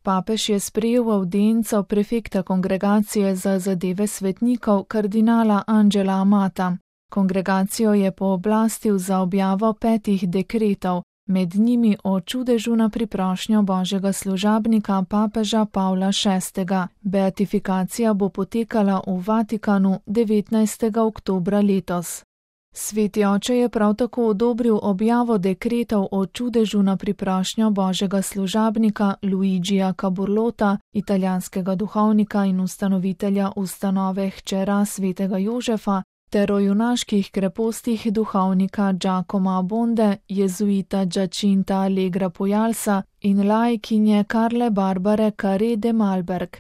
Papež je sprejel avdienco prefekta kongregacije za zadeve svetnikov kardinala Angela Amata. Kongregacijo je pooblastil za objavo 5 dekretov, med njimi o čudežu na priprošnjo božjega služabnika papeža Pavla VI. Beatifikacija bo potekala v Vatikanu 19. oktobra letos. Sveti oče je prav tako odobril objavo dekretov o čudežu na priprošnjo božjega služabnika Luigija Caburlota, italijanskega duhovnika in ustanovitelja ustanove Hčera svetega Jožefa, ter o junaških krepostih duhovnika Giacomo Abbonde, jezuita Giacinta Allegra Pojalsa in laikinje Karle Barbare Carré de Malberg.